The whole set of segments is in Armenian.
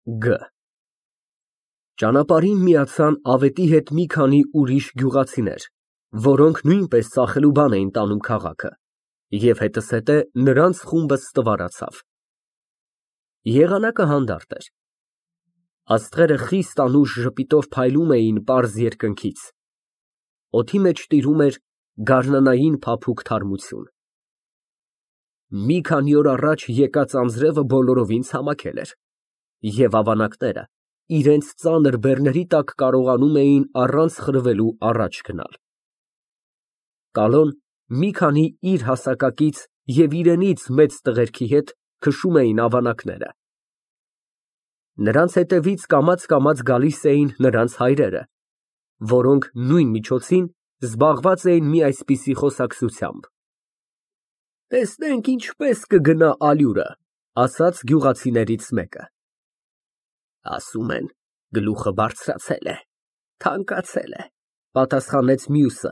Գ Ճանապարհին միացան ավետի հետ մի քանի ուրիշ գյուղացիներ, որոնք նույնպես ծախելու բան էին տանում քաղաքը, և հետզհետե նրանց խումբը ստվարացավ։ Եղանակը հանդարտ էր։ Աստղերը խիստ անուշ ժպիտով փայլում էին պարզ երկնքից։ Օդի մեջ տիրում էր գարնանային փափուկ թարմություն։ Մի քանի օր առաջ եկած անձրևը բոլորովին ցամաքել էր, և ավանակները իրենց ծանր բեռների տակ կարողանում էին առանց խրվելու առաջ գնալ։ Կալոն մի քանի իր հասակակից և իրենից մեծ տղերքի հետ քշում էին ավանակները։ Նրանց հետևից կամաց գալիս էին նրանց հայրերը, որոնք նույն միջոցին զբաղված էին մի այսպիսի խոսակցությամբ։ Տեսնենք ինչպես կգնա ալյուրը, ասաց գյուղացիներից մեկը։ Ասում են, գլուխը բարձրացել է, թանկացել է, պատասխանեց մյուսը։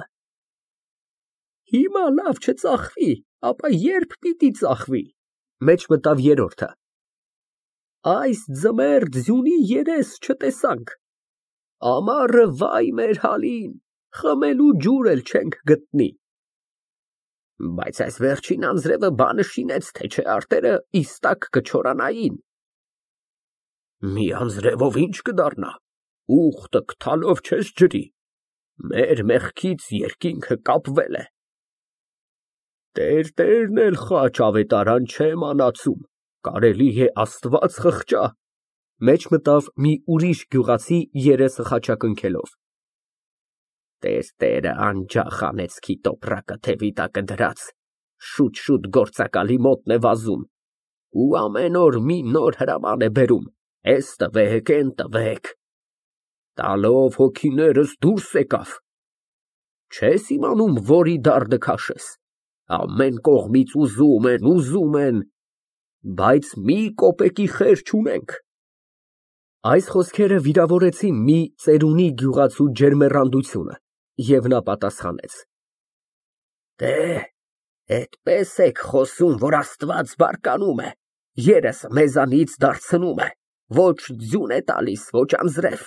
Հիմա լավ չծախվի, ապա ե՞րբ պիտի ծախվի, մեջ մտավ երրորդը։ Այս ձմեռ ձյունի երես չտեսանք, ամառը վայ մեր հալին, խմելու ջուր էլ չենք գտնի։ Բայց այս վերջին անձրևը բանը շինեց, թե չէ արտերը իստակ կչորանային։ Մի անձրևով ինչ կդառնա, ուխտը գդալով չես ջրի, մեր մեղքից երկինքը կապվել է։ Տերտերն էլ խաչ ավետարան չէ մանացում, կարելի է Աստված խղճա, մեջ մտավ մի ուրիշ գյուղացի երեսը խաչակնքելով։ Տերտերը անջախ անեծքի տոպրակը թևի տակը դրած, շուտ գործակալի մոտն է վազում, ու ամեն օր մի նոր հրաման է բերում, էս տվեք, էն տվեք, տալով հոգիներս դուրս եկավ, չես իմանում որի դարդը քաշես, ամեն կողմից ուզում են, բայց մի կոպեկի խեր չունենք։ Այս խոսքերը վիրավորեցին մի ծերունի գյուղացու ջերմեռանդությունը, և նա պատասխանեց. Դե, էդպես եք խոսում, որ Աստված բարկանում է, երեսը մեզանից դարձնում է, ոչ ձյուն է տալիս, ոչ անձրև։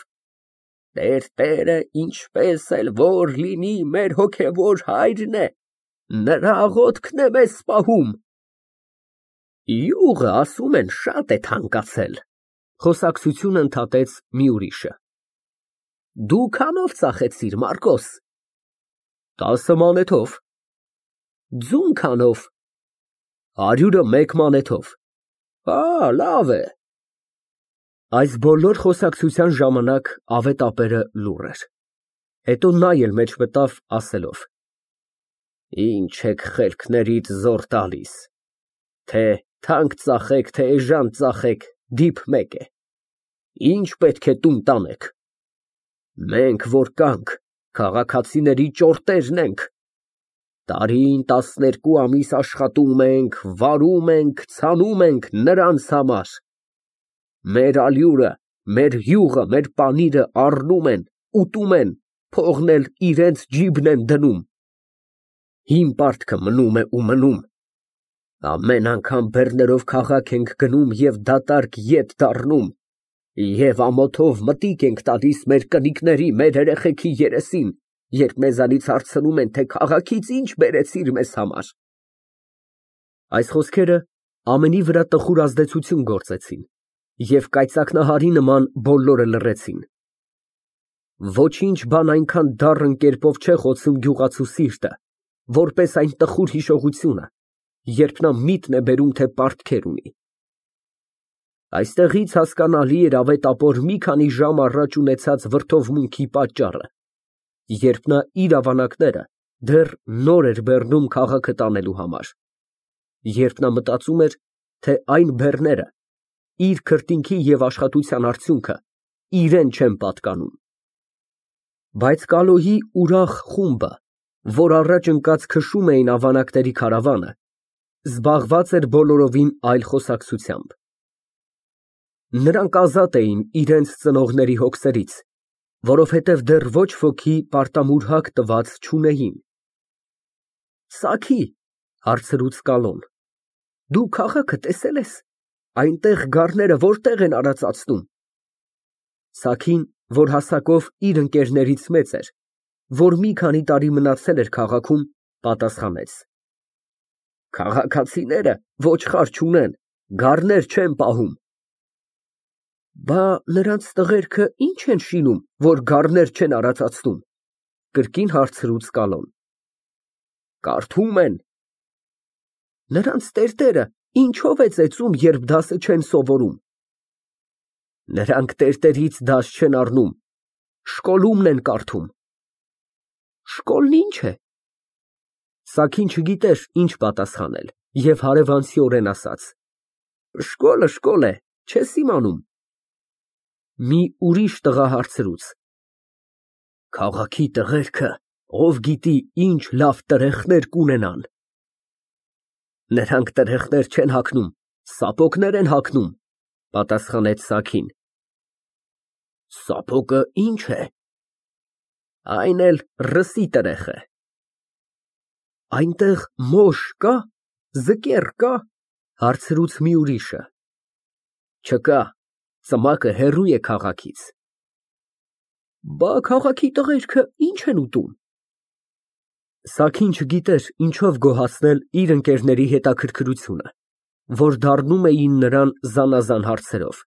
Տերտերը ինչպես էլ որ լինի մեր հոգևոր հայրն է, նրա աղոթքն է մեզ պահում։ Յուղը ասում են շատ է թանկացել, խոսակցությունը ընդհատեց մի ուրիշը։ Դու քանով ծախեցիր, Մարկոս։ 10 մանեթով։ Ձուն քանով։ 101 մանեթով։ Լավ է։ Այս բոլոր խոսակցության ժամանակ ավետապերը լուռ էր։ Հետո նա էլ մեջ մտավ ասելով. Ինչ եք խելքներիդ զոր տալիս, թե թանկ ծախեք, թե էժան ծախեք, դիփ մեկ է, ինչ պետք է տուն տանեք։ Մենք որ կանք, քաղաքացիների ճորտերն ենք, տարին 12 ամիս աշխատում ենք, վարում ենք, ցանում ենք նրանց համար, մեր ալյուրը, մեր յուղը, մեր պանիրը առնում են, ուտում են, փողն էլ իրենց ջիբն են դնում, հին պարտքը մնում է ու մնում, ամեն անգամ բեռներով քաղաք ենք գնում և դատարկ ետ դառնում, և ամոթով մտիկ ենք տալիս մեր կնիկների, մեր երեխեքի երեսին, երբ մեզանից հարցնում են, թե քաղաքից ինչ բերեցիր մեզ համար։ Այս խոսքերը ամենի վրա տխուր ազդեցություն գործեցին, և կայծակնահարի նման բոլորը լռեցին։ Ոչինչ բան այնքան դառն կերպով չէ խոցում գյուղացու սիրտը, որպես այն տխուր հիշողությունը, երբ նա միտքն է բերում, թե պարտքեր ունի։ Այստեղից հասկանալի էր ավետապոր մի քանի ժամ առաջ ունեցած վրդովմունքի պատճառը, երբ նա իր ավանակները դեռ նոր էր բեռնում քաղաքը տանելու համար, երբ նա մտածում էր, թե այն բեռները իր քրտինքի և աշխատության արդյունքը իրան չեն պատկանում։ Բայց Կալոյի ուրախ խումբը, որ առաջ ընկած քշում էին ավանակների քարավանը, զբաղված էր բոլորովին այլ խոսակցությամբ։ Նրանք ազատ էին իրենց ծնողների հոգսերից, որովհետև դեռ ոչ ոքի պարտամուրհակ տված չունեին։ Սաքի, հարցրուց Կալոն, դու քաղաքը տեսել ես, այնտեղ գառները որտեղ են արածացնում, Սաքին, որ հասակով իր ընկերներից մեծ էր, որ մի քանի տարի մնացել էր քաղաքում, պատասխանեց. Քաղաքացիները ոչխար չունեն, գառներ չեն պահում։ Բա նրանց տղերքը ի՞նչ են շինում, որ գառներ չեն արածացնում, կրկին հարցրուց Կալոն։ Կարդում են։ Նրանց տերտերը ինչով է ծեծում, երբ դասը չեն սովորում։ Նրանք տերտերից դաս չեն առնում, շկոլումն են կարդում։ Շկոլն ի՞նչ է։ Սաքին չգիտեր ինչ պատասխանել և հարևանցիորեն ասաց. Շկոլը շկոլ է, չես իմանում։ Մի ուրիշ տղա հարցրուց. Քաղաքի տղերքը ով գիտի ինչ լավ տրեխներ կունենան։ Նրանք տրեխներ չեն հագնում, սապոգներ են հագնում, պատասխանեց Սաքին։ Սապոգը ի՞նչ է։ Այն էլ ռսի տրեխ է։ Այնտեղ մոշ կա, ձկեր կա, հարցրուց մի ուրիշը։ Չկա, ծմակը հեռու է քաղաքից։ Բա քաղաքի տղերքը ի՞նչ են ուտում։ Սաքին չգիտեր ինչով գոհացնել իր ընկերների հետաքրքրությունը, որ դառնում էին նրան զանազան հարցերով։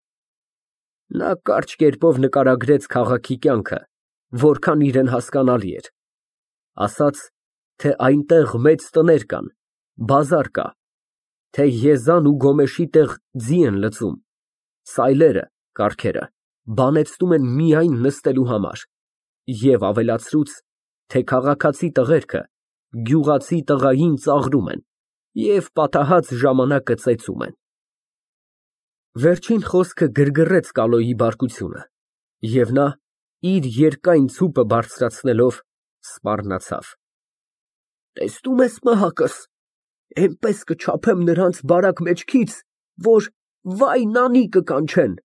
Նա կարճ կերպով նկարագրեց քաղաքի կյանքը, որքան իրեն հասկանալի էր, ասաց, թե այնտեղ մեծ տներ կան, բազար կա, թե Եզան ու Գոմեշի տեղ ձի են լցում, սայլերը, կառքերը, բանեցնում են միայն նստելու համար, և ավելացրուց, թե քաղաքացի տղերքը գյուղացի տղային ծաղրում են և պատահած ժամանակը ծեծում են։ Վերջին խոսքը գրգռեց Կալոյի բարկությունը, և նա, իր երկայն ցուպը բարձրացնելով, սպառնացավ։ Տեսնում ես, մահակս, էնպես կչափեմ նրանց բարակ մեջքից, որ վայ նանի կկանչեն։